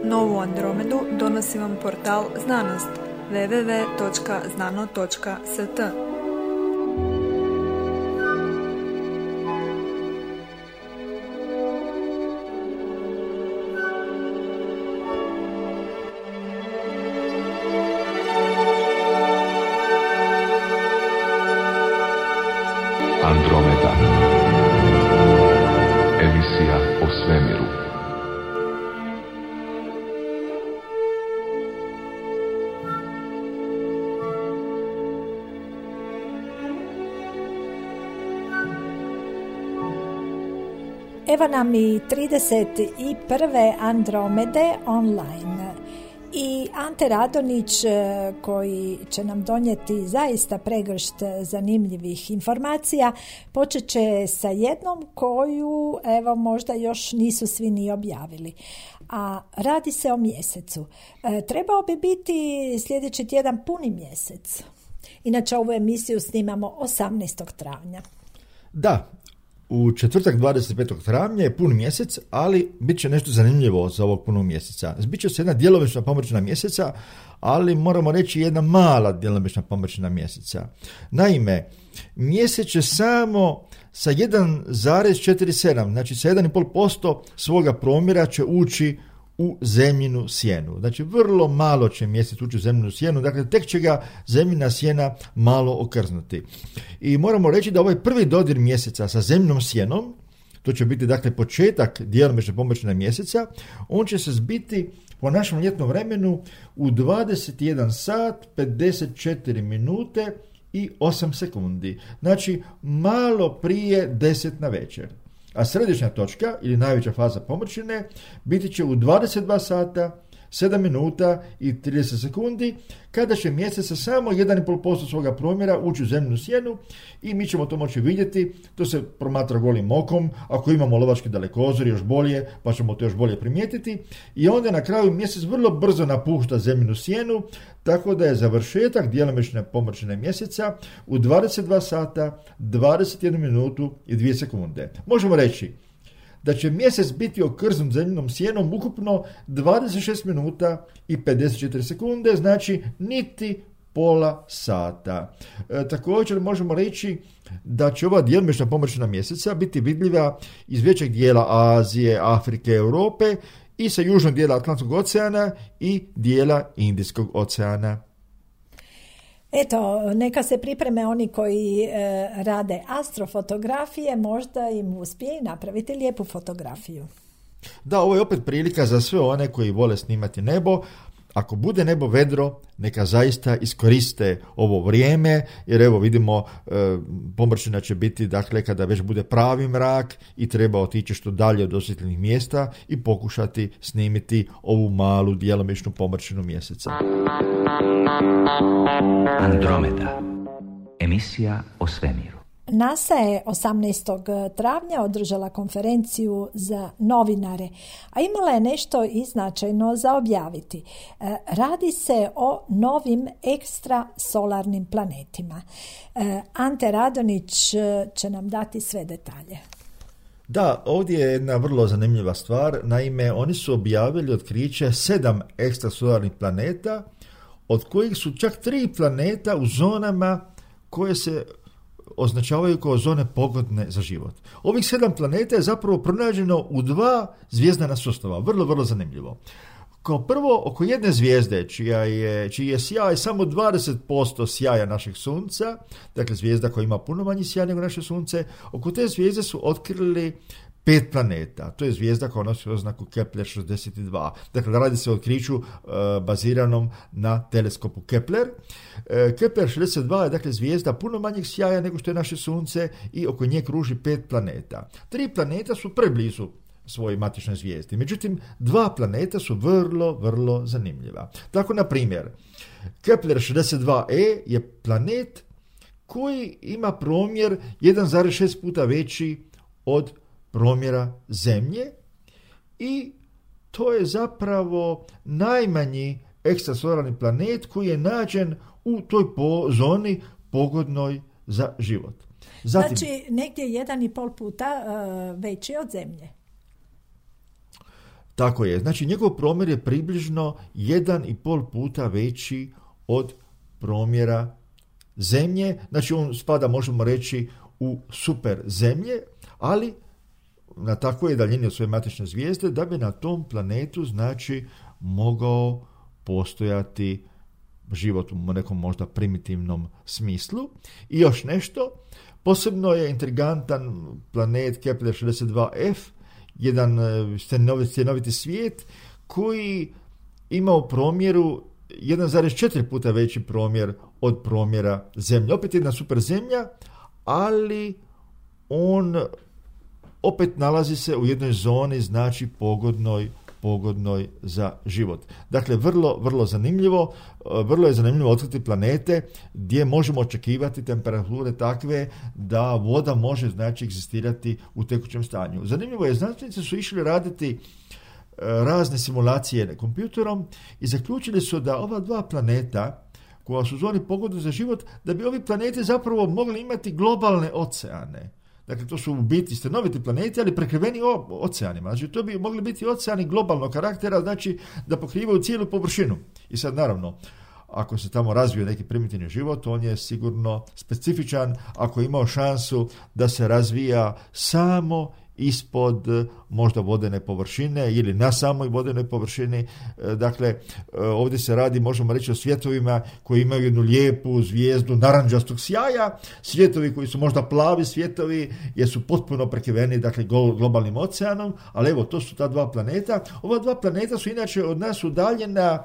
Novu Andromedu donosi vam portal Znanost www.znano.st. Andromeda. Emisija o svemiru. Evo nam i 31. Andromede online. I Ante Radonić koji će nam donijeti zaista pregršt zanimljivih informacija počet će sa jednom koju evo možda još nisu svi ni objavili. A radi se o mjesecu. Trebao bi biti sljedeći tjedan puni mjesec. Inače ovu emisiju snimamo 18. travnja. Da, u četvrtak 25. travnja je pun mjesec, ali bit će nešto zanimljivo za ovog punog mjeseca. Bit će se jedna djelomična pomračina mjeseca, ali moramo reći jedna mala djelomična pomračina mjeseca. Naime, mjesec će samo sa 1,47, znači sa 1,5% svoga promjera će ući u zemljinu sjenu. Znači, vrlo malo će mjesec ući u zemljinu sjenu, dakle, tek će ga zemljina sjena malo okrznuti. I moramo reći da ovaj prvi dodir mjeseca sa zemljinom sjenom, to će biti, dakle, početak djelomične pomračine mjeseca, on će se zbiti po našem ljetnom vremenu u 21 sat, 54 minute i 8 sekundi. Znači, malo prije 10 na večer. A središnja točka ili najveća faza pomračine biti će u 22 sata, 7 minuta i 30 sekundi, kada će mjesec sa samo 1,5% svoga promjera ući u zemljinu sjenu i mi ćemo to moći vidjeti. To se promatra golim okom, ako imamo lovački dalekozor još bolje, pa ćemo to još bolje primijetiti. I onda na kraju mjesec vrlo brzo napušta zemljinu sjenu, tako da je završetak djelomične pomračine mjeseca u 22 sata, 21 minutu i 2 sekunde. Možemo reći da će mjesec biti okrznut zemljinom sjenom ukupno 26 minuta i 54 sekunde, znači niti pola sata. Također možemo reći da će ova djelomična pomračina mjeseca biti vidljiva iz većeg dijela Azije, Afrike, Europe i sa južnog dijela Atlantskog oceana i dijela Indijskog oceana. Eto, neka se pripreme oni koji rade astrofotografije, možda im uspije napraviti lijepu fotografiju. Da, ovo je opet prilika za sve one koji vole snimati nebo. Ako bude nebo vedro, neka zaista iskoriste ovo vrijeme, jer evo vidimo pomračina će biti, dakle, kada već bude pravi mrak i treba otići što dalje od osjetljenih mjesta i pokušati snimiti ovu malu djelomičnu pomračinu mjeseca. Andromeda. Emisija o svemiru. NASA je 18. travnja održala konferenciju za novinare, a imala je nešto i značajno za objaviti. Radi se o novim ekstrasolarnim planetima. Ante Radonić će nam dati sve detalje. Da, ovdje je jedna vrlo zanimljiva stvar. Naime, oni su objavili otkriće 7 ekstrasolarnih planeta, od kojih su čak 3 planeta u zonama koje se označavaju kao zone pogodne za život. Ovih 7 planeta je zapravo pronađeno u 2 zvijezdana sustava. Vrlo, vrlo zanimljivo. Kao prvo, oko jedne zvijezde, čiji je sjaj samo 20% sjaja našeg sunca, dakle zvijezda koja ima puno manji sjaj nego naše sunce, oko te zvijezde su otkrili 5 planeta. To je zvijezda koja nosi oznaku Kepler 62. Dakle, radi se o otkriću baziranom na teleskopu Kepler. Kepler 62 je, dakle, zvijezda puno manjeg sjaja nego što je naše sunce i oko nje kruži 5 planeta. 3 planeta su preblizu svojoj matičnoj zvijezdi. Međutim, 2 planeta su vrlo, vrlo zanimljiva. Tako, na primjer, Kepler 62e je planet koji ima promjer 1,6 puta veći od promjera Zemlje i to je zapravo najmanji ekstrasolarni planet koji je nađen u toj zoni pogodnoj za život. Zatim, znači negdje 1,5 puta veći od Zemlje. Tako je. Znači, njegov promjer je približno 1,5 puta veći od promjera Zemlje. Znači, on spada, možemo reći, u super Zemlje, ali na takvoj daljini od svoje matične zvijezde da bi na tom planetu, znači, mogao postojati život u nekom možda primitivnom smislu. I još nešto, posebno je intrigantan planet Kepler 62f, jedan stjenoviti svijet koji ima u promjeru 1,4 puta veći promjer od promjera Zemlje. Opet jedna super Zemlja, ali on opet nalazi se u jednoj zoni, znači pogodnoj za život. Dakle, vrlo zanimljivo. Vrlo je zanimljivo otkriti planete gdje možemo očekivati temperature takve da voda može, znači, egzistirati u tekućem stanju. Zanimljivo je, znanstvenici su išli raditi razne simulacije kompjuterom i zaključili su da ova dva planeta koja su u zoni pogodne za život, da bi ovi planeti zapravo mogli imati globalne oceane. Dakle, to su u biti stanoviti planeti, ali prekriveni oceanima. Znači, to bi mogli biti oceani globalnog karaktera, znači da pokrivaju cijelu površinu. I sad, naravno, ako se tamo razvije neki primitivni život, on je sigurno specifičan ako je imao šansu da se razvija samo ispod možda vodene površine ili na samoj vodenoj površini. Dakle, ovdje se radi, možemo reći, o svjetovima koji imaju jednu lijepu zvijezdu naranđastog sjaja, svjetovi koji su možda plavi svjetovi jer su potpuno prekriveni, dakle, globalnim oceanom, ali evo, to su ta dva planeta. Ova dva planeta su inače od nas udaljena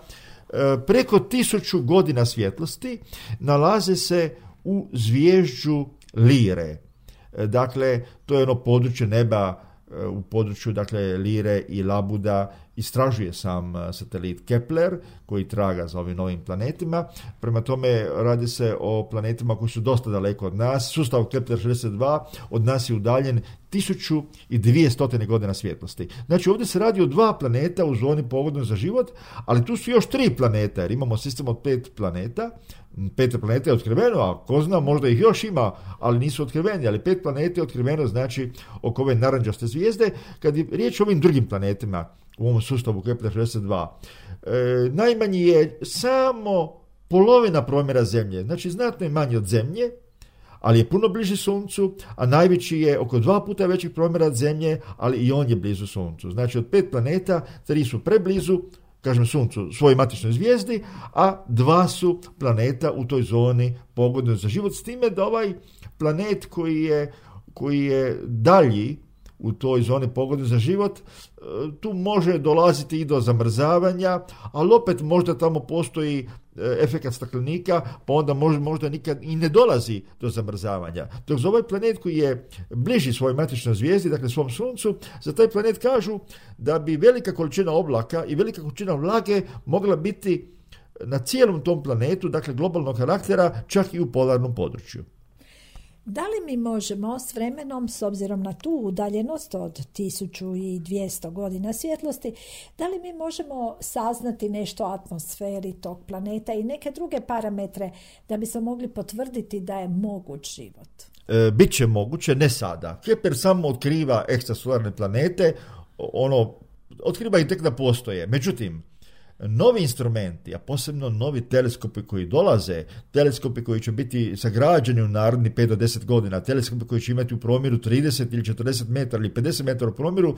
preko 1000 godina svjetlosti, nalaze se u zvijezđu Lire. Dakle, to je ono područje neba u području, dakle, Lire i Labuda istražuje sam satelit Kepler koji traga za ovim novim planetima. Prema tome, radi se o planetima koji su dosta daleko od nas. Sustav Kepler 62 od nas je udaljen 1200 godina svjetlosti. Znači, ovdje se radi o dva planeta u zoni pogodnoj za život, ali tu su još 3 planeta, jer imamo sistem od 5 planeta. 5 planeta je otkriveno, a ko zna, možda ih još ima, ali nisu otkriveni, ali 5 planeta je otkriveno, znači, oko ove naranđaste zvijezde. Kad je riječ o ovim drugim planetima u ovom sustavu Kepler 62, najmanji je samo polovina promjera Zemlje, znači znatno je manji od Zemlje, ali je puno bliži Suncu, a najveći je oko 2 puta većih promjera od Zemlje, ali i on je blizu Suncu. Znači, od 5 planeta 3 su preblizu, kažem, Suncu, svojoj matičnoj zvijezdi, a 2 su planeta u toj zoni pogodnoj za život, s time da ovaj planet koji je dalji u toj zoni pogodnoj za život, tu može dolaziti i do zamrzavanja, ali opet možda tamo postoji efekat staklenika, pa onda možda nikad i ne dolazi do zamrzavanja. Dok za ovaj planet koji je bliži svojoj matičnoj zvijezdi, dakle svom Suncu, za taj planet kažu da bi velika količina oblaka i velika količina vlage mogla biti na cijelom tom planetu, dakle globalnog karaktera, čak i u polarnom području. Da li mi možemo s vremenom, s obzirom na tu udaljenost od 1200 godina svjetlosti, da li mi možemo saznati nešto o atmosferi tog planeta i neke druge parametre da bi se mogli potvrditi da je moguć život? Biće moguće, ne sada. Kepler samo otkriva ekstrasolarne planete, otkriva ih tek da postoje. Međutim, novi instrumenti, a posebno novi teleskopi koji dolaze, teleskopi koji će biti sagrađeni u narednih 5 do 10 godina, teleskopi koji će imati u promjeru 30 ili 40 metara ili 50 metara u promjeru,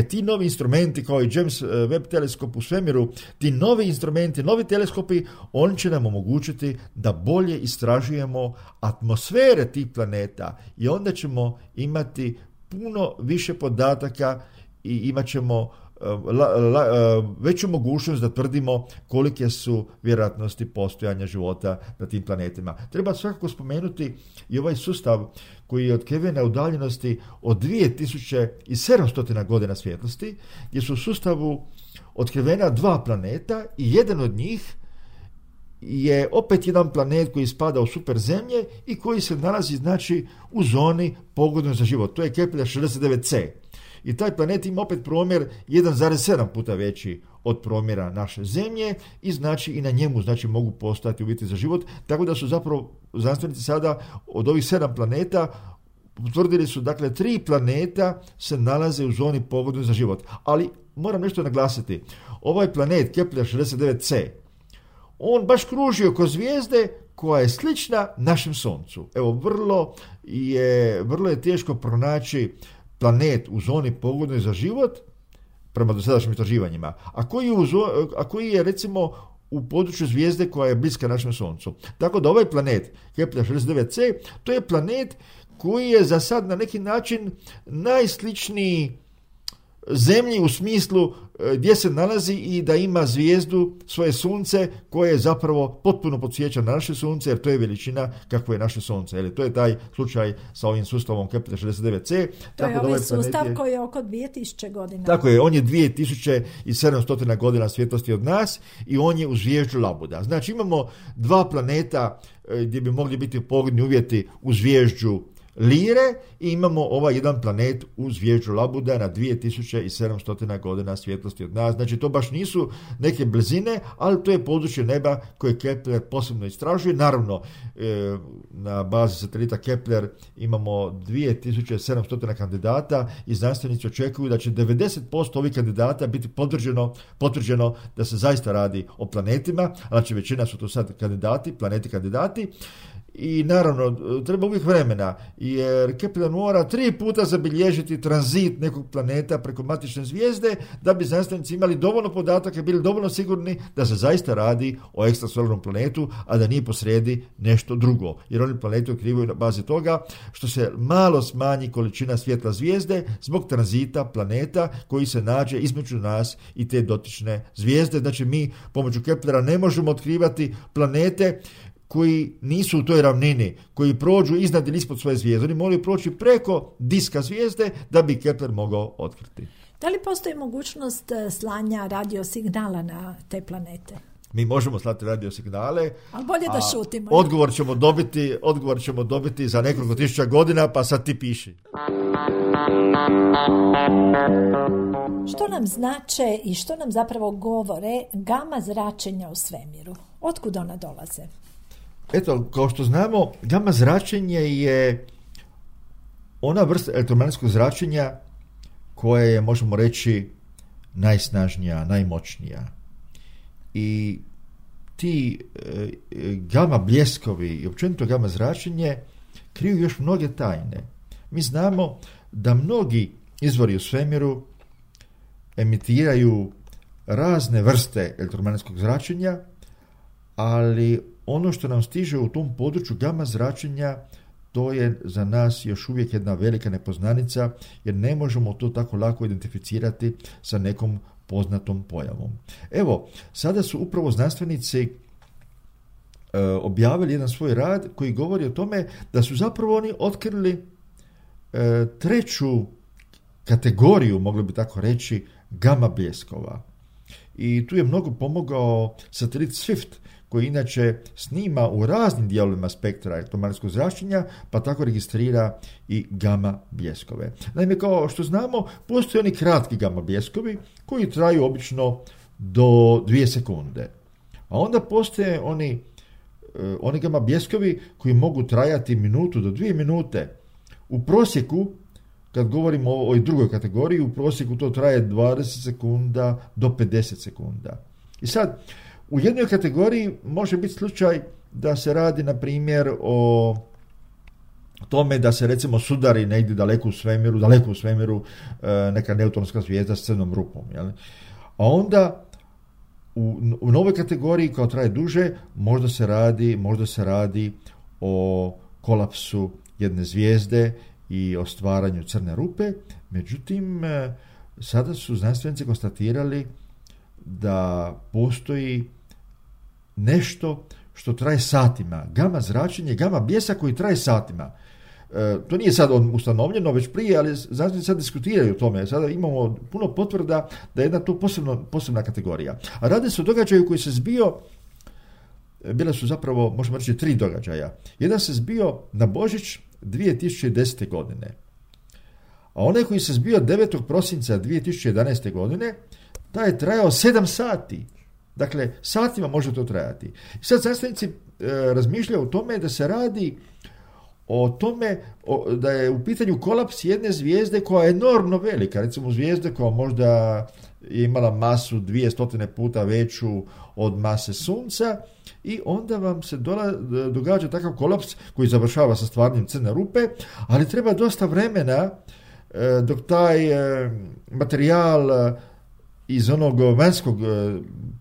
ti novi instrumenti kao i James Webb teleskop u svemiru, ti novi instrumenti, novi teleskopi, oni će nam omogućiti da bolje istražujemo atmosfere tih planeta i onda ćemo imati puno više podataka i imat ćemo veću mogućnost da tvrdimo kolike su vjerojatnosti postojanja života na tim planetima. Treba svakako spomenuti i ovaj sustav koji je otkriven na udaljenosti od 2700 godina svjetlosti, gdje su u sustavu otkrivena 2 planeta i jedan od njih je opet jedan planet koji spada u super Zemlje i koji se nalazi, znači, u zoni pogodnoj za život. To je Kepler 69c. I taj planet ima opet promjer 1,7 puta veći od promjera naše Zemlje i znači i na njemu, znači, mogu postojati uvjeti za život, tako da su zapravo znanstvenici sada od ovih 7 planeta utvrdili su, dakle, 3 planeta se nalaze u zoni pogodnoj za život. Ali moram nešto naglasiti. Ovaj planet Kepler 69c, on baš kruži oko zvijezde koja je slična našem Suncu. Evo, vrlo je teško pronaći planet u zoni pogodnoj za život, prema dosadašnjim istraživanjima, a koji je recimo u području zvijezde koja je bliska našem Suncu. Tako da ovaj planet, Kepler 69c, to je planet koji je za sad na neki način najsličniji Zemlji u smislu gdje se nalazi i da ima zvijezdu, svoje sunce, koje je zapravo potpuno podsjeća na naše sunce, jer to je veličina kakvo je naše sunce. Jer to je taj slučaj sa ovim sustavom Kepler 69c. To je ovaj sustav koji je oko 2000 godina. Tako je, on je 2700 godina svjetlosti od nas i on je u zvijezdu Labuda. Znači imamo 2 planeta gdje bi mogli biti pogodni uvjeti u zvijezdu Lire i imamo ovaj jedan planet u zvijezdu Labuda na 2700 godina svjetlosti od nas. Znači to baš nisu neke blizine, ali to je područje neba koje Kepler posebno istražuje. Naravno, na bazi satelita Kepler imamo 2700 kandidata i znanstvenici očekuju da će 90% ovih kandidata biti potvrđeno da se zaista radi o planetima, znači većina su to sad planeti kandidati. I naravno, treba uvijek vremena, jer Kepler mora 3 puta zabilježiti tranzit nekog planeta preko matične zvijezde, da bi znanstvenici imali dovoljno podataka i bili dovoljno sigurni da se zaista radi o ekstrasolarnom planetu, a da nije posrijedi nešto drugo. Jer oni planeti otkrivaju na bazi toga što se malo smanji količina svjetla zvijezde zbog tranzita planeta koji se nađe između nas i te dotične zvijezde. Znači mi pomoću Keplera ne možemo otkrivati planete koji nisu u toj ravnini, koji prođu iznad ili ispod svoje zvijezde. Oni moraju proći preko diska zvijezde da bi Kepler mogao otkriti. Da li postoji mogućnost slanja radiosignala na te planete? Mi možemo slati radiosignale. Ali bolje da šutimo. Odgovor ćemo dobiti za nekoliko tisuća godina, pa sad ti piši. Što nam znače i što nam zapravo govore gama zračenja u svemiru? Otkud ona dolaze? Eto, kao što znamo, gama zračenje je ona vrsta elektromagnetskog zračenja koja je, možemo reći, najsnažnija, najmoćnija. I ti gama bljeskovi i općenito gama zračenje kriju još mnoge tajne. Mi znamo da mnogi izvori u svemiru emitiraju razne vrste elektromagnetskog zračenja, ali ono što nam stiže u tom području gama zračenja, to je za nas još uvijek jedna velika nepoznanica, jer ne možemo to tako lako identificirati sa nekom poznatom pojavom. Evo, sada su upravo znanstvenici objavili jedan svoj rad koji govori o tome da su zapravo oni otkrili 3. kategoriju, mogli bi tako reći, gama bljeskova. I tu je mnogo pomogao satelit Swift, koji inače snima u raznim dijelovima spektra elektromagnetskog zračenja, pa tako registrira i gama bljeskove. Naime, kao što znamo, postoje oni kratki gama bljeskovi koji traju obično do 2 sekunde. A onda postoje oni gama bljeskovi koji mogu trajati minutu do 2 minute. U prosjeku, kad govorimo o ovoj drugoj kategoriji, u prosjeku to traje 20 sekunda do 50 sekunda. I sad, u jednoj kategoriji može biti slučaj da se radi, na primjer, o tome da se recimo sudari negdje daleko u svemiru neka neutronska zvijezda s crnom rupom. Jel? A onda u novoj kategoriji, koja traje duže, možda se radi o kolapsu jedne zvijezde i o stvaranju crne rupe. Međutim, sada su znanstvenici konstatirali da postoji nešto što traje satima. Gama zračenje, gama bljesak koji traje satima. To nije sad ustanovljeno već prije, ali znanstvenici sad diskutiraju o tome. Sada imamo puno potvrda da je jedna to posebna kategorija. A radi se o događaju koji se zbio, bile su zapravo, možemo reći, 3 događaja. Jedan se zbio na Božić 2010. godine. A onaj koji se zbio 9. prosinca 2011. godine, taj je trajao 7 sati. Dakle, satima može to trajati. Sad znanstvenici razmišljaju o tome da se radi o tome da je u pitanju kolaps jedne zvijezde koja je enormno velika, recimo zvijezde koja možda je imala masu 200 puta veću od mase Sunca, i onda vam se događa takav kolaps koji završava sa stvarnim crne rupe, ali treba dosta vremena dok taj materijal iz onog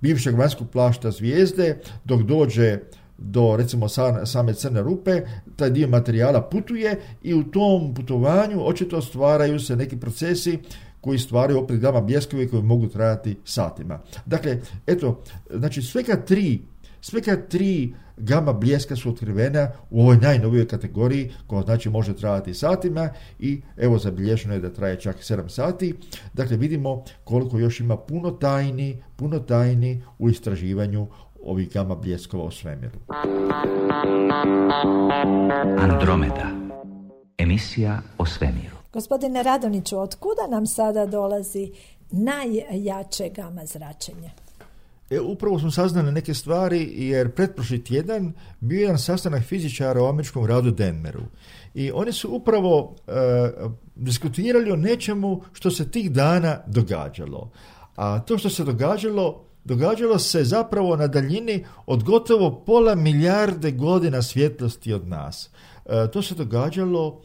bivšeg vanjskog plašta zvijezde, dok dođe do recimo same crne rupe, taj dio materijala putuje i u tom putovanju očito stvaraju se neki procesi koji stvaraju opet gama bljeskovi koji mogu trajati satima. Dakle, eto, znači sveka tri gama bljeska su otkrivena u ovoj najnovijoj kategoriji koja znači može trajati satima, i evo zabilježeno je da traje čak 7 sati. Dakle, vidimo koliko još ima puno tajni u istraživanju ovih gama bljeskova u svemiru. Andromeda. Emisija o svemiru. Gospodine Radoniću, otkuda nam sada dolazi najjače gama zračenje? Upravo smo saznali neke stvari, jer pretprošli tjedan bio jedan sastanak fizičara u američkom gradu Denveru. I oni su upravo diskutirali o nečemu što se tih dana događalo. A to što se događalo se zapravo na daljini od gotovo 0,5 milijarde godina svjetlosti od nas. To se događalo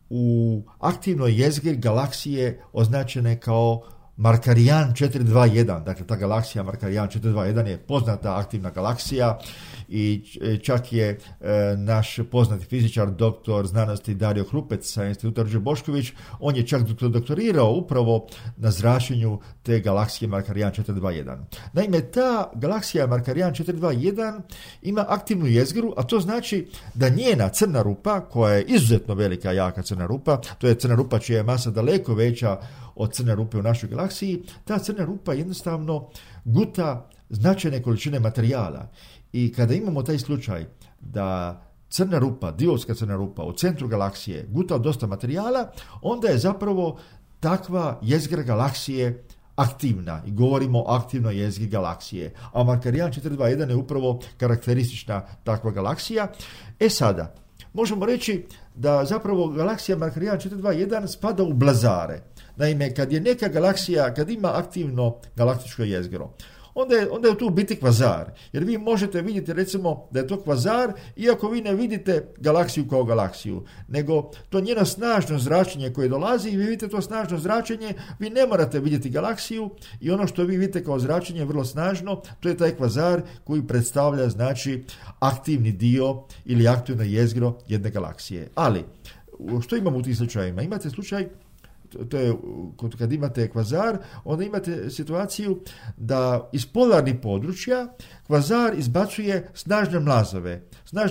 u aktivnoj jezgri galaksije označene kao Markarijan 421, dakle ta galaksija Markarijan 421 je poznata aktivna galaksija, i čak je naš poznati fizičar, doktor znanosti Dario Hrupec sa instituta Ruđer Bošković, on je čak doktorirao upravo na zračenju te galaksije Markarijan 421. Naime, ta galaksija Markarijan 421 ima aktivnu jezgru, a to znači da njena crna rupa, koja je izuzetno velika, jaka crna rupa, to je crna rupa čija je masa daleko veća od crne rupe u našoj galaksiji, ta crna rupa jednostavno guta značajne količine materijala. I kada imamo taj slučaj da crna rupa, Diovska crna rupa u centru galaksije guta dosta materijala, onda je zapravo takva jezgra galaksije aktivna, i govorimo o aktivnoj jezgri galaksije. A Markarijan 421 je upravo karakteristična takva galaksija. Sada, možemo reći da zapravo galaksija Markarijan 421 spada u blazare. Naime, kad je neka galaksija, kad ima aktivno galaktičko jezgro, onda je tu u biti kvazar. Jer vi možete vidjeti recimo da je to kvazar, iako vi ne vidite galaksiju kao galaksiju, nego to njeno snažno zračenje koje dolazi, i vi vidite to snažno zračenje, vi ne morate vidjeti galaksiju, i ono što vi vidite kao zračenje vrlo snažno, to je taj kvazar koji predstavlja znači aktivni dio ili aktivno jezgro jedne galaksije. Ali, što imamo u tih slučajima? Imate slučaj, to je kad imate kvazar, onda imate situaciju da iz polarnih područja kvazar izbacuje snažne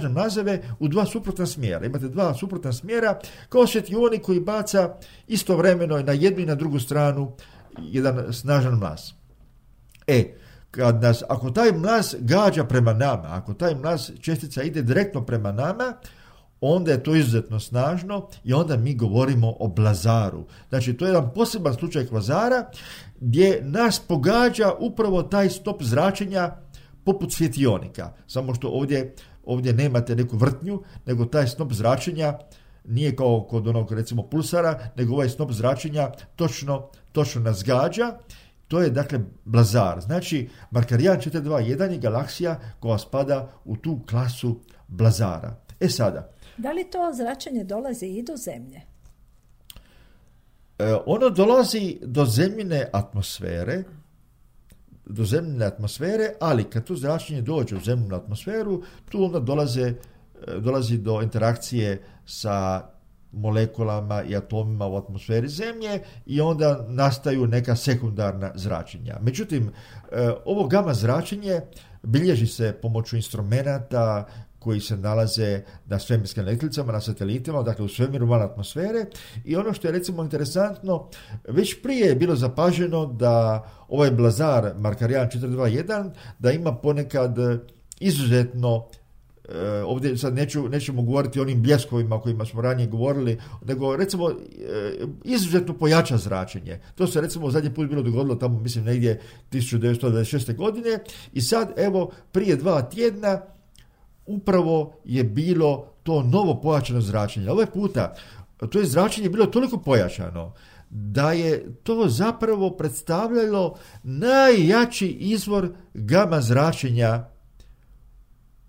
mlazove u dva suprotna smjera. Imate dva suprotna smjera kao svjetioni koji baca istovremeno na jednu i na drugu stranu jedan snažan mlaz. Ako taj mlaz gađa prema nama, ako taj mlaz čestica ide direktno prema nama, onda je to izuzetno snažno i onda mi govorimo o blazaru. Znači, to je jedan poseban slučaj kvazara gdje nas pogađa upravo taj stop zračenja poput svjetionika. Samo što ovdje nemate neku vrtnju, nego taj snop zračenja nije kao kod onog recimo pulsara, nego ovaj snop zračenja točno nas gađa. To je dakle blazar. Znači, Markarijan 421 je galaksija koja spada u tu klasu blazara. Sada, da li to zračenje dolazi i do Zemlje? Ono dolazi do zemljine atmosfere, ali kad to zračenje dođe u zemljinu atmosferu, tu onda dolazi do interakcije sa molekulama i atomima u atmosferi Zemlje i onda nastaju neka sekundarna zračenja. Međutim, ovo gama zračenje bilježi se pomoću instrumenata koji se nalaze na svemirskim letjelicama, na satelitima, dakle u svemiru van atmosfere, i ono što je recimo interesantno, već prije je bilo zapaženo da ovaj blazar Markarijan 421 da ima ponekad izuzetno, ovdje sad nećemo govoriti o onim bljeskovima o kojima smo ranije govorili, nego recimo izuzetno pojača zračenje. To se recimo zadnji put bilo dogodilo tamo, mislim, negdje 1926. godine, i sad evo prije 2 tjedna upravo je bilo to novo pojačano zračenje. Ovaj puta to je zračenje bilo toliko pojačano da je to zapravo predstavljalo najjači izvor gama zračenja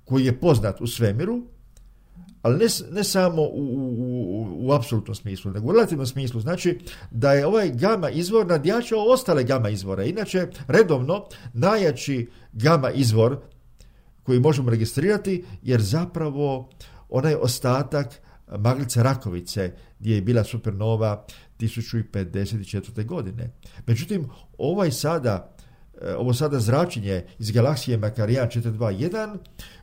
koji je poznat u svemiru, ali ne samo u apsolutnom smislu, nego u relativnom smislu. Znači da je ovaj gama izvor nadjačao ostale gama izvore. Inače, redovno najjači gama izvor koji možemo registrirati, jer zapravo onaj ostatak maglice Rakovice, gdje je bila supernova 1054. godine. Međutim, ovo sada zračenje iz galaksije Makarijan 421,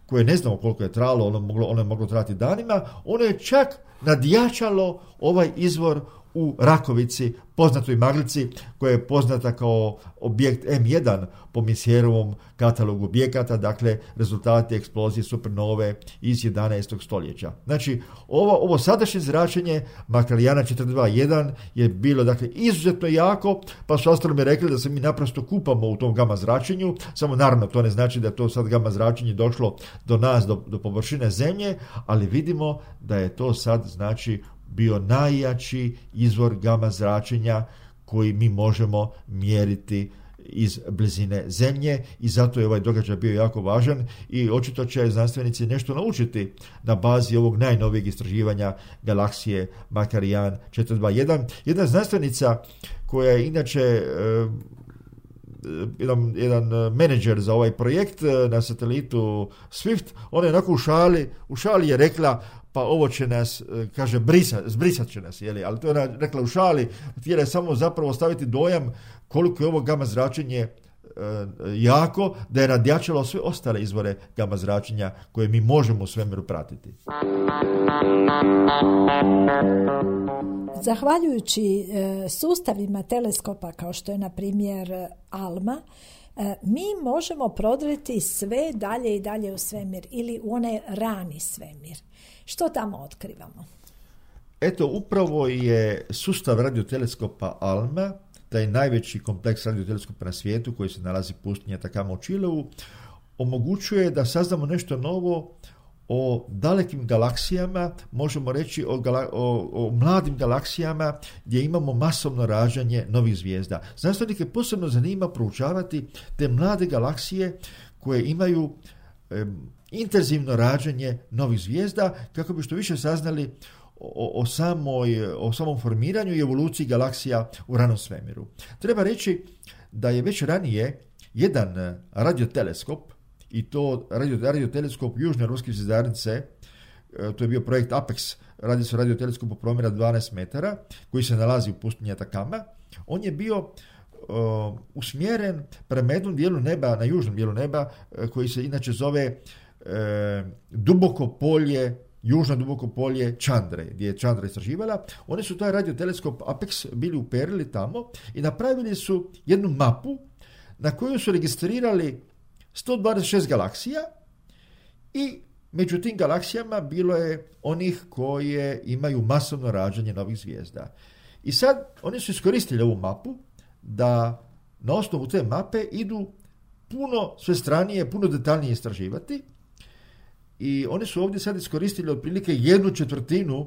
koje ne znamo koliko je trajalo, ono je moglo trajati danima, ono je čak nadjačalo ovaj izvor u Rakovici, poznatoj maglici, koja je poznata kao objekt M1 po Messierovom katalogu objekata, dakle rezultati eksplozije supernove iz 11. stoljeća. Znači, ovo sadašnje zračenje Makarijana 421 je bilo dakle izuzetno jako, pa su astronomi rekli da se mi naprosto kupamo u tom gama zračenju, samo naravno to ne znači da je to sad gama zračenje došlo do nas, do površine Zemlje, ali vidimo da je to sad znači bio najjači izvor gama zračenja koji mi možemo mjeriti iz blizine Zemlje, i zato je ovaj događaj bio jako važan i očito će znanstvenici nešto naučiti na bazi ovog najnovijeg istraživanja galaksije Makarijan 421. Jedna znanstvenica koja je inače jedan menadžer za ovaj projekt na satelitu Swift, ona je onako u šali je rekla, pa ovo će nas, kaže, zbrisat će nas, ali to je ona rekla u šali, htjela je samo zapravo staviti dojam koliko je ovo gama zračenje jako, da je nadjačalo sve ostale izvore gama zračenja koje mi možemo u svemiru pratiti. Zahvaljujući sustavima teleskopa kao što je na primjer ALMA, mi možemo prodreti sve dalje i dalje u svemir ili u onaj rani svemir. Što tamo otkrivamo? Eto, upravo je sustav radioteleskopa ALMA, taj najveći kompleks radioteleskopa na svijetu koji se nalazi u pustinji Atacama u Čileu, omogućuje da saznamo nešto novo o dalekim galaksijama, možemo reći o mladim galaksijama gdje imamo masovno rađanje novih zvijezda. Znanstvenike posebno zanima proučavati te mlade galaksije koje imaju intenzivno rađanje novih zvijezda, kako bi što više saznali o samom formiranju i evoluciji galaksija u ranom svemiru. Treba reći da je već ranije jedan radioteleskop, i to radioteleskop Južne ruske zvjezdarnice, to je bio projekt APEX, radi se o radioteleskopu promjera 12 metara, koji se nalazi u pustinji Atacama. On je bio usmjeren prema jednom dijelu neba, na južnom dijelu neba, koji se inače zove južno duboko polje Čandre, gdje je Čandra istraživala. Oni su taj radioteleskop APEX bili uperili tamo i napravili su jednu mapu na koju su registrirali 126 galaksija, i među tim galaksijama bilo je onih koje imaju masovno rađanje novih zvijezda. I sad oni su iskoristili ovu mapu da na osnovu te mape idu puno svestranije, puno detaljnije istraživati, i oni su ovdje sad iskoristili otprilike 1/4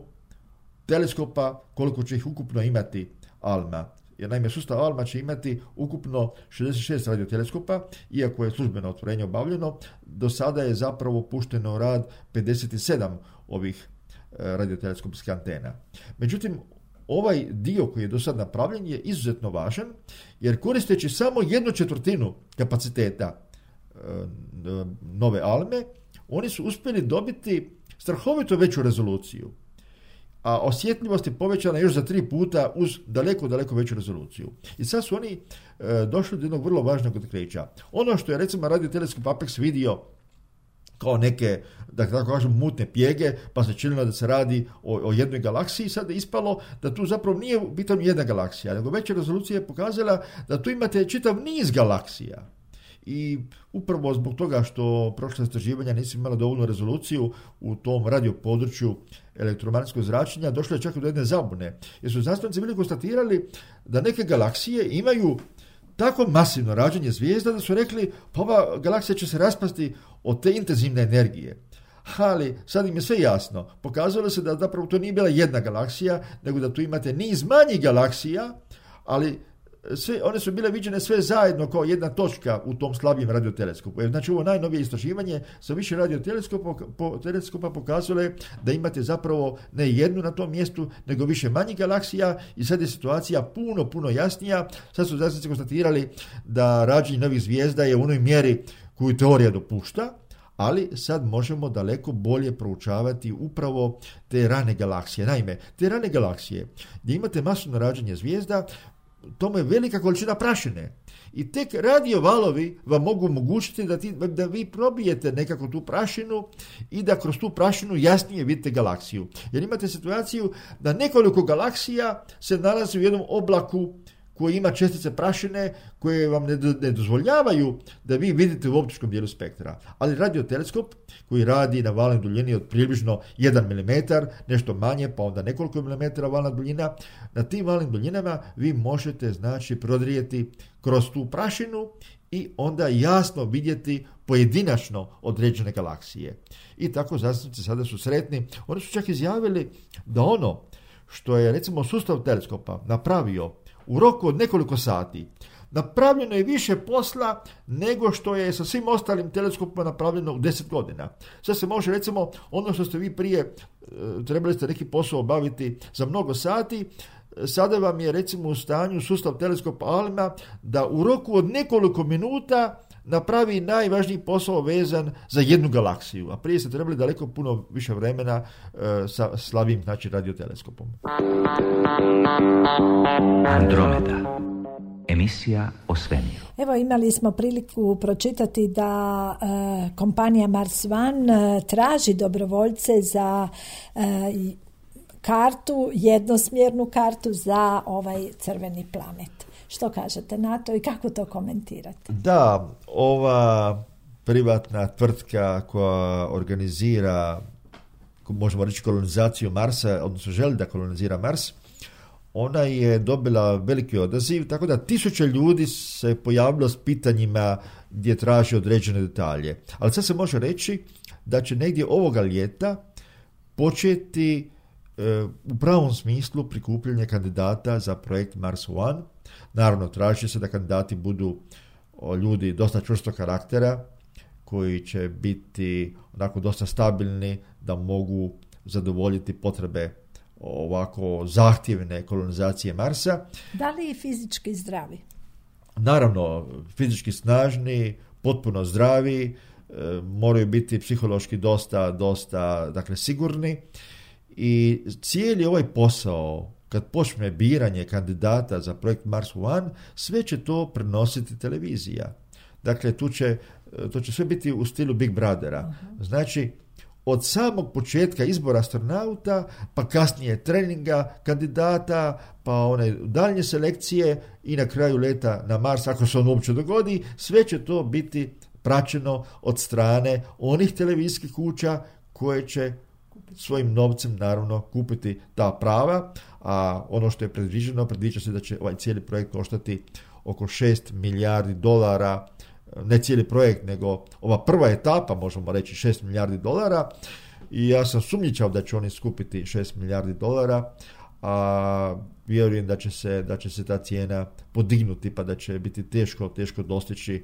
teleskopa koliko će ih ukupno imati ALMA. Jer naime sustav ALMA će imati ukupno 66 radioteleskopa, iako je službeno otvorenje obavljeno, do sada je zapravo pušteno u rad 57 ovih radioteleskopskih antena. Međutim, ovaj dio koji je do sad napravljen je izuzetno važan, jer koristeći samo 1/4 kapaciteta nove ALME, oni su uspjeli dobiti strahovito veću rezoluciju, a osjetljivost je povećana još za 3 puta uz daleko veću rezoluciju. I sad su oni došli do jednog vrlo važnog otkrića. Ono što je recimo radioteleskop APEX vidio kao neke, da tako kažem, mutne pjege, pa se činilo da se radi o jednoj galaksiji, sad je ispalo da tu zapravo nije u pitanju jedna galaksija, nego veća rezolucija je pokazala da tu imate čitav niz galaksija. I upravo zbog toga što prošla istraživanja nisu imala dovoljnu rezoluciju u tom radio području elektromagnetskog zračenja, došlo je čak do jedne zabune, jer su znanstvenici bili konstatirali da neke galaksije imaju tako masivno rađanje zvijezda da su rekli, pa ova galaksija će se raspasti od te intenzivne energije. Ali sad im je sve jasno. Pokazalo se da zapravo to nije bila jedna galaksija, nego da tu imate niz manjih galaksija, ali one su bile viđene sve zajedno kao jedna točka u tom slabijem radioteleskopu. Znači ovo najnovije istraživanje sa više radioteleskopa pokazalo je da imate zapravo ne jednu na tom mjestu, nego više manjih galaksija i sad je situacija puno jasnija. Sad su znanstvenici konstatirali da rađenje novih zvijezda je u onoj mjeri koju teorija dopušta, ali sad možemo daleko bolje proučavati upravo te rane galaksije. Naime, te rane galaksije gdje imate masovno rađenje zvijezda, tome je velika količina prašine. I tek radio valovi vam mogu omogućiti da vi probijete nekako tu prašinu i da kroz tu prašinu jasnije vidite galaksiju. Jer imate situaciju da nekoliko galaksija se nalazi u jednom oblaku koji ima čestice prašine koje vam ne dozvoljavaju da vi vidite u optičkom dijelu spektra. Ali radioteleskop koji radi na valnoj duljini od približno 1 mm, nešto manje, pa onda nekoliko milimetara valna duljina, na tim valnim duljinama vi možete znači prodrijeti kroz tu prašinu i onda jasno vidjeti pojedinačno određene galaksije. I tako znanstvenici sada su sretni. Oni su čak izjavili da ono što je recimo sustav teleskopa napravio u roku od nekoliko sati, napravljeno je više posla nego što je sa svim ostalim teleskopima napravljeno u 10 godina. Sad se može recimo ono što ste vi prije trebali ste neki posao obaviti za mnogo sati, sada vam je recimo u stanju sustav teleskopa ALMA da u roku od nekoliko minuta napravi najvažniji posao vezan za jednu galaksiju, a prije ste trebali daleko puno više vremena sa slabim znači radioteleskopom. Andromeda. Emisija o svemiru. Evo, imali smo priliku pročitati da kompanija Mars One traži dobrovoljce za kartu, jednosmjernu kartu za ovaj crveni planet. Što kažete na to i kako to komentirate? Da, ova privatna tvrtka koja organizira, možemo reći, kolonizaciju Marsa, odnosno želi da kolonizira Mars, ona je dobila veliki odaziv, tako da 1000 ljudi se pojavilo s pitanjima gdje traži određene detalje. Ali sad se može reći da će negdje ovoga ljeta početi u pravom smislu prikupljanje kandidata za projekt Mars One. Naravno, traži se da kandidati budu ljudi dosta čvrstog karaktera, koji će biti onako dosta stabilni, da mogu zadovoljiti potrebe ovako zahtjevne kolonizacije Marsa. Da li i fizički zdravi? Naravno, fizički snažni, potpuno zdravi, moraju biti psihološki dosta dakle, sigurni. I cijeli ovaj posao, kad počne biranje kandidata za projekt Mars One, sve će to prenositi televizija. Dakle, to će sve biti u stilu Big Brothera. Znači, od samog početka izbora astronauta, pa kasnije treninga kandidata, pa one daljnje selekcije i na kraju leta na Mars, ako se on uopće dogodi, sve će to biti praćeno od strane onih televizijskih kuća koje će svojim novcem naravno kupiti ta prava, a ono što je predviđa se da će ovaj cijeli projekt koštati oko $6 milijardi, ne cijeli projekt, nego ova prva etapa, možemo reći $6 milijardi, i ja sam sumnjičav da će oni skupiti $6 milijardi, a vjerujem da će se ta cijena podignuti, pa da će biti teško dostići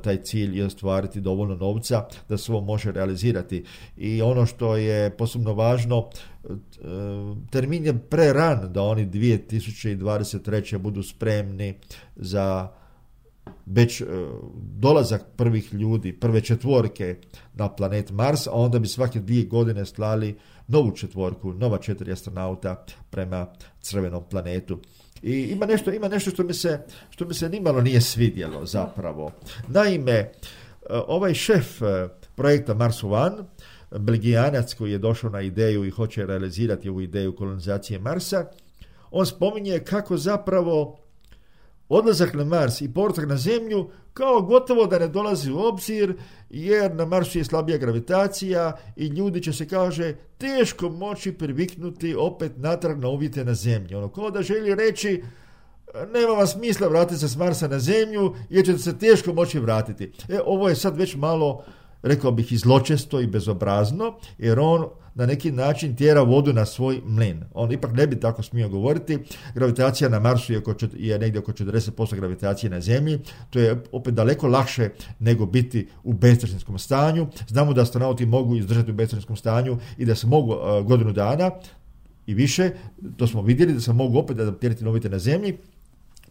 taj cilj i ostvariti dovoljno novca da se ovo može realizirati. I ono što je posebno važno, termin je preran da oni 2023. budu spremni za već dolazak prvih ljudi, prve četvorke na planet Mars, a onda bi svake 2 godine slali novu četvorku, nova 4 astronauta prema crvenom planetu. I ima nešto što mi se nimalo nije svidjelo zapravo. Naime, ovaj šef projekta Mars One, Belgijanac koji je došao na ideju i hoće realizirati ovu ideju kolonizacije Marsa, on spominje kako zapravo odlazak na Mars i povratak na Zemlju kao gotovo da ne dolazi u obzir, jer na Marsu je slabija gravitacija i ljudi će se, kaže, teško moći priviknuti opet natrag na uvjete na Zemlji. Ono kao da želi reći, nema vam smisla vratiti se s Marsa na Zemlju jer ćete se teško moći vratiti. Ovo je sad već malo rekao bih i zločesto i bezobrazno, jer on na neki način tjera vodu na svoj mlin. On ipak ne bi tako smio govoriti. Gravitacija na Marsu je negdje oko 40% gravitacije na Zemlji. To je opet daleko lakše nego biti u bezstresnom stanju. Znamo da astronauti mogu izdržati u bezstresnom stanju i da se mogu godinu dana i više. To smo vidjeli da se mogu opet adaptirati novite na Zemlji.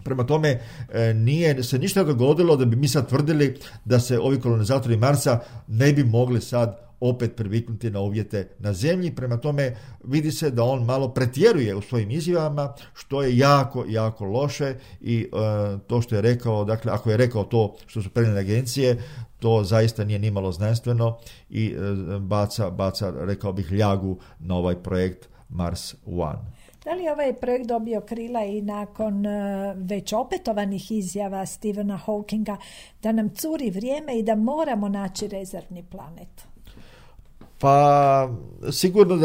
Prema tome, nije se ništa dogodilo da bi mi sad tvrdili da se ovi kolonizatori Marsa ne bi mogli sad opet priviknuti na uvjete na Zemlji. Prema tome, vidi se da on malo pretjeruje u svojim izjavama, što je jako, jako loše i to što je rekao, dakle, ako je rekao to što su prenijele agencije, to zaista nije nimalo znanstveno i baca, rekao bih, ljagu na ovaj projekt Mars One. Da li je ovaj projekt dobio krila i nakon već opetovanih izjava Stephena Hawkinga da nam curi vrijeme i da moramo naći rezervni planet? Pa sigurno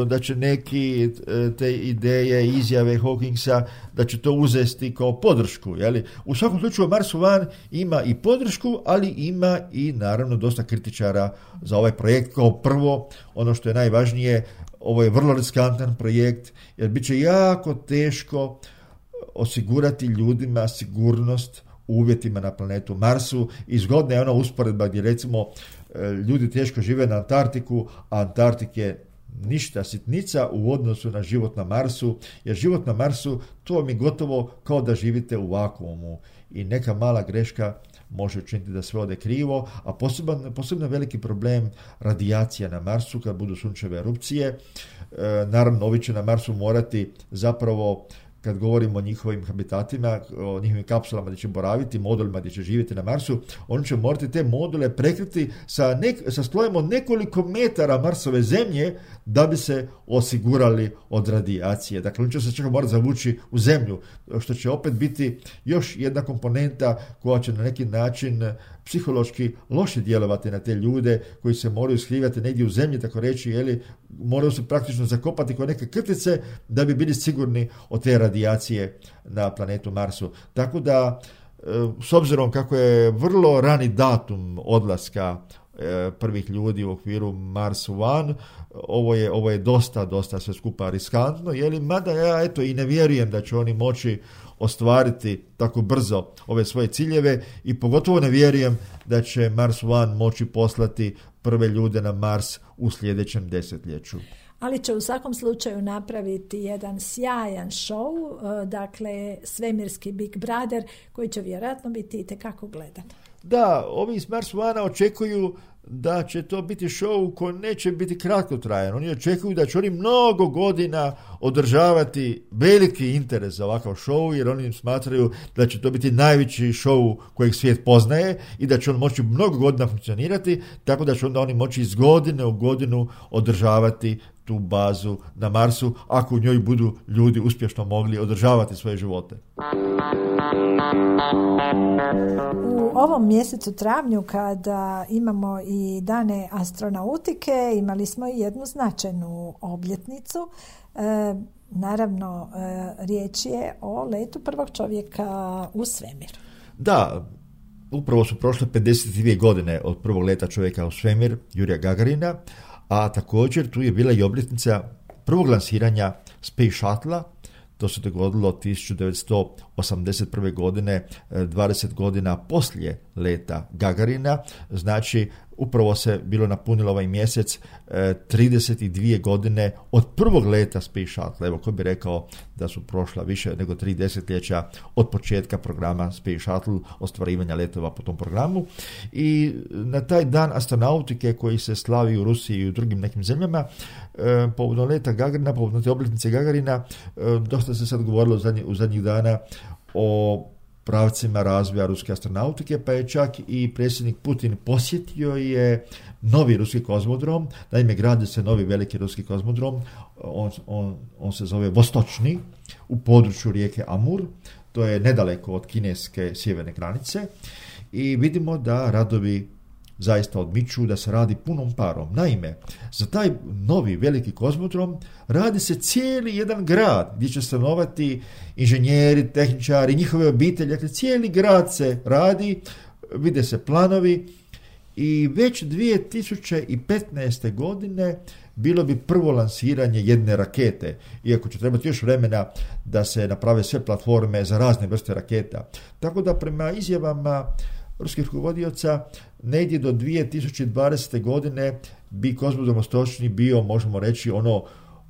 da će neki te ideje, izjave Hawkingsa, da će to uzeti kao podršku. Jeli? U svakom slučaju Mars One ima i podršku, ali ima i naravno dosta kritičara za ovaj projekt. Kao prvo, ono što je najvažnije, ovo je vrlo riskantan projekt, jer bit će jako teško osigurati ljudima sigurnost u uvjetima na planetu Marsu. I zgodna je ona usporedba gdje recimo ljudi teško žive na Antarktiku, a Antarktik je ništa, sitnica u odnosu na život na Marsu, jer život na Marsu to vam je gotovo kao da živite u vakuumu i neka mala greška može učiniti da sve ode krivo, a posebno veliki problem radijacija na Marsu kad budu sunčeve erupcije. Naravno, ovi će na Marsu morati zapravo, kad govorimo o njihovim habitatima, o njihovim kapsulama gdje će boraviti, modulima gdje će živjeti na Marsu, oni će morati te module prekriti sa slojem od nekoliko metara Marsove zemlje da bi se osigurali od radijacije. Dakle, oni će se čak morati zavući u zemlju, što će opet biti još jedna komponenta koja će na neki način psihološki loše djelovati na te ljude koji se moraju skrivati negdje u zemlji, tako reći, jeli, moraju se praktično zakopati kao neke krtice da bi bili sigurni od te radijacije na planetu Marsu. Tako da, s obzirom kako je vrlo rani datum odlaska prvih ljudi u okviru Mars One, ovo je dosta sve skupa riskantno, jeli, mada ja i ne vjerujem da će oni moći ostvariti tako brzo ove svoje ciljeve i pogotovo ne vjerujem da će Mars One moći poslati prve ljude na Mars u sljedećem desetljeću. Ali će u svakom slučaju napraviti jedan sjajan show, dakle svemirski Big Brother, koji će vjerojatno biti itekako gledan. Da, ovi iz Mars One očekuju da će to biti show koji neće biti kratkotrajan. Oni očekuju da će oni mnogo godina održavati veliki interes za ovakav show, jer oni smatraju da će to biti najveći show kojeg svijet poznaje i da će on moći mnogo godina funkcionirati, tako da će onda oni moći iz godine u godinu održavati tu bazu na Marsu, ako u njoj budu ljudi uspješno mogli održavati svoje živote. U ovom mjesecu travnju, kada imamo i dane astronautike, imali smo i jednu značajnu obljetnicu. Naravno, riječ je o letu prvog čovjeka u svemir. Da, upravo su prošle 52 godine od prvog leta čovjeka u svemir, Jurija Gagarina, a također tu je bila i obljetnica prvog lansiranja Space Shuttle-a. To se dogodilo 1981. godine, 20 godina poslije leta Gagarina. Znači, upravo se bilo napunilo ovaj mjesec 32 godine od prvog leta Space Shuttle. Evo, ko bi rekao da su prošla više nego 3 desetljeća od početka programa Space Shuttle, ostvarivanja letova po tom programu. I na taj dan astronautike koji se slavi u Rusiji i u drugim nekim zemljama, povodom leta Gagarina, povodom te obljetnice Gagarina, dosta se sad govorilo u zadnjih dana o pravcima razvoja ruske astronautike, pa je čak i predsjednik Putin posjetio je novi ruski kozmodrom. Naime, gradi se novi veliki ruski kozmodrom, on se zove Vostočni, u području rijeke Amur, to je nedaleko od kineske sjeverne granice, i vidimo da radovi zaista odmiču, da se radi punom parom. Naime, za taj novi veliki kozmodrom radi se cijeli jedan grad gdje će stanovati inženjeri, tehničari, njihove obitelji. Dakle, cijeli grad se radi, vide se planovi i već 2015. godine bilo bi prvo lansiranje jedne rakete, iako će trebati još vremena da se naprave sve platforme za razne vrste raketa. Tako da prema izjavama ruskih rukovodioca negdje do 2020. godine bi kozmodrom Vostočni bio, možemo reći,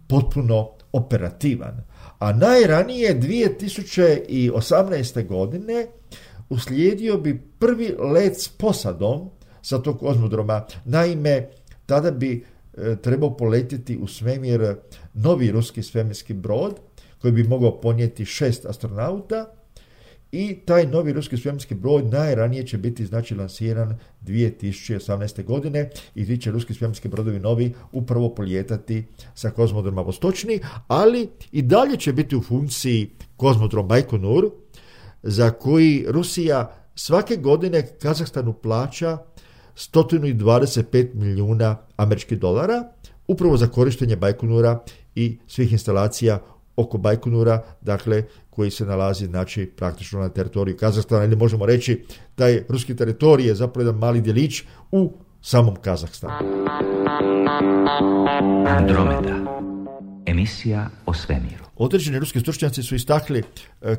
potpuno operativan. A najranije 2018. godine uslijedio bi prvi let s posadom sa tog kozmodroma. Naime, tada bi trebao poletjeti u svemir novi ruski svemirski brod koji bi mogao ponijeti 6 astronauta i taj novi ruski svemirski brod najranije će biti lansiran 2018. godine i ti će ruski svemirski brodovi novi upravo polijetati sa kozmodroma Vostočni, ali i dalje će biti u funkciji kozmodrom Bajkonur, za koji Rusija svake godine Kazahstanu plaća 125 milijuna američkih dolara upravo za korištenje Bajkonura i svih instalacija oko Bajkonura, dakle, koji se nalazi, praktično na teritoriju Kazahstana, ili možemo reći, taj ruski teritorij je zapravo jedan mali djelić u samom Kazahstanu. Andromeda. Emisija o svemiru. Određeni ruski stručnjaci su istakli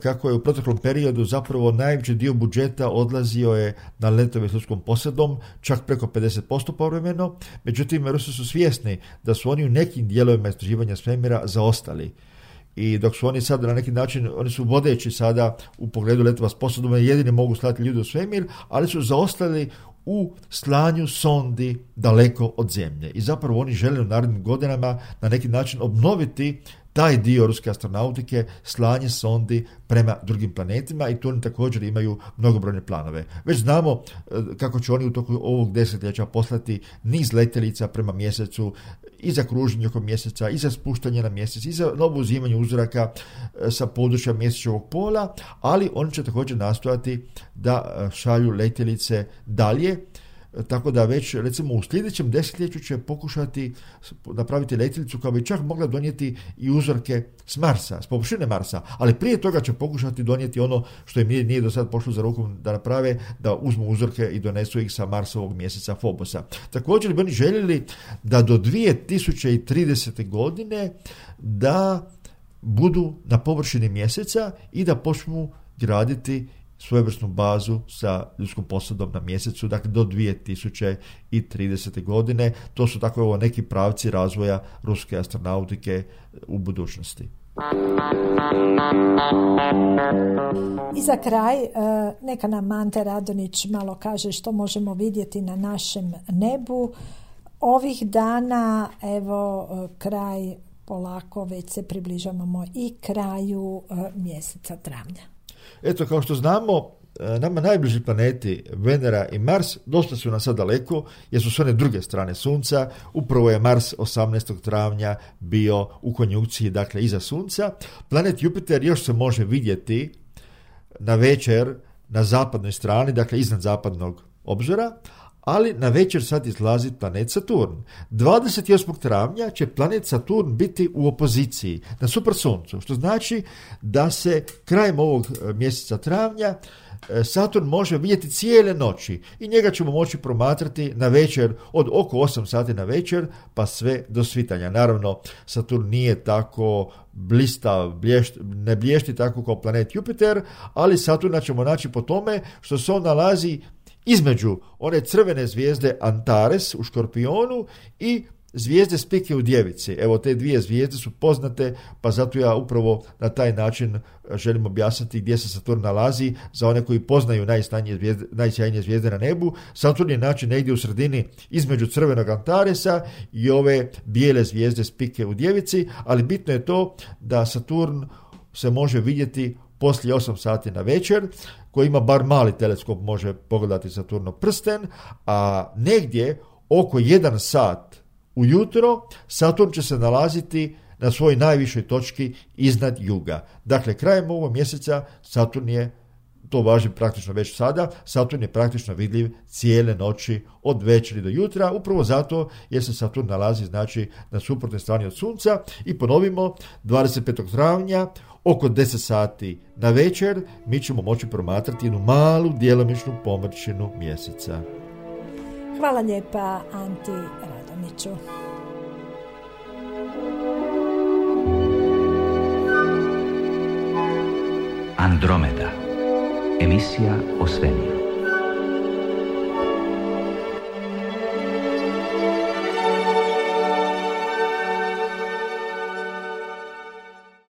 kako je u proteklom periodu zapravo najveći dio budžeta odlazio je na letove s ljudskom posadom, čak preko 50% povremeno. Međutim, Rusi su svjesni da su oni u nekim dijelovima istraživanja svemira zaostali. I dok su oni sad na neki način, oni su vodeći sada u pogledu letova s posadom, jedini mogu slati ljude u svemir, ali su zaostali u slanju sondi daleko od zemlje. I zapravo oni žele u narednim godinama na neki način obnoviti taj dio ruske astronautike, slanje sondi prema drugim planetima, i tu oni također imaju mnogobrojne planove. Već znamo kako će oni u toku ovog desetljeća poslati niz letjelica prema mjesecu, i za kruženje oko mjeseca, i za spuštanje na mjesec, i za novo uzimanje uzoraka sa područja mjesečevog pola, ali oni će također nastojati da šalju letjelice dalje, tako da već recimo u sljedećem desetljeću će pokušati napraviti letjelicu koja bi čak mogla donijeti i uzorke s Marsa, s površine Marsa, ali prije toga će pokušati donijeti ono što im nije do sad pošlo za rukom da naprave, da uzmu uzorke i donesu ih sa Marsovog mjeseca Fobosa. Također bi oni željeli da do 2030. godine da budu na površini mjeseca i da počnu graditi svojevrsnu bazu sa ljudskom posadom na mjesecu, dakle do 2030. godine. To su tako neki pravci razvoja ruske astronautike u budućnosti. I za kraj, neka nam Ante Radonić malo kaže što možemo vidjeti na našem nebu. Ovih dana, evo, kraj polako, već se približavamo i kraju mjeseca travnja. Eto, kao što znamo, nama najbliži planeti Venera i Mars dosta su nas sad daleko, jer su s one druge strane Sunca. Upravo je Mars 18. travnja bio u konjunkciji, dakle iza Sunca. Planet Jupiter još se može vidjeti na večer na zapadnoj strani, dakle iznad zapadnog obzora, ali na večer sad izlazi planet Saturn. 28. travnja će planet Saturn biti u opoziciji na super Suncu, što znači da se krajem ovog mjeseca travnja Saturn može vidjeti cijele noći i njega ćemo moći promatrati na večer od oko 8 sati na večer pa sve do svitanja. Naravno, Saturn nije tako blistav, ne blješti tako kao planet Jupiter, ali Saturna ćemo naći po tome što se on nalazi između one crvene zvijezde Antares u Škorpionu i zvijezde Spike u Djevici. Evo, te dvije zvijezde su poznate, pa zato ja upravo na taj način želim objasniti gdje se Saturn nalazi za one koji poznaju najsjajnije zvijezde na nebu. Saturn je način negdje u sredini između crvenog Antaresa i ove bijele zvijezde Spike u Djevici, ali bitno je to da Saturn se može vidjeti poslije 8 sati na večer, koji ima bar mali teleskop, može pogledati Saturnov prsten, a negdje oko 1 sat ujutro Saturn će se nalaziti na svojoj najvišoj točki iznad juga. Dakle, krajem ovog mjeseca Saturn je, to važi praktično već sada, Saturn je praktično vidljiv cijele noći od večeri do jutra, upravo zato jer se Saturn nalazi, znači, na suprotnoj strani od Sunca. I ponovimo, 25. travnja oko 10 sati na večer mi ćemo moći promatrati jednu malu djelomičnu pomrčinu mjeseca. Hvala lijepa Anti Radoniću. Andromeda. Emisija o svemiru.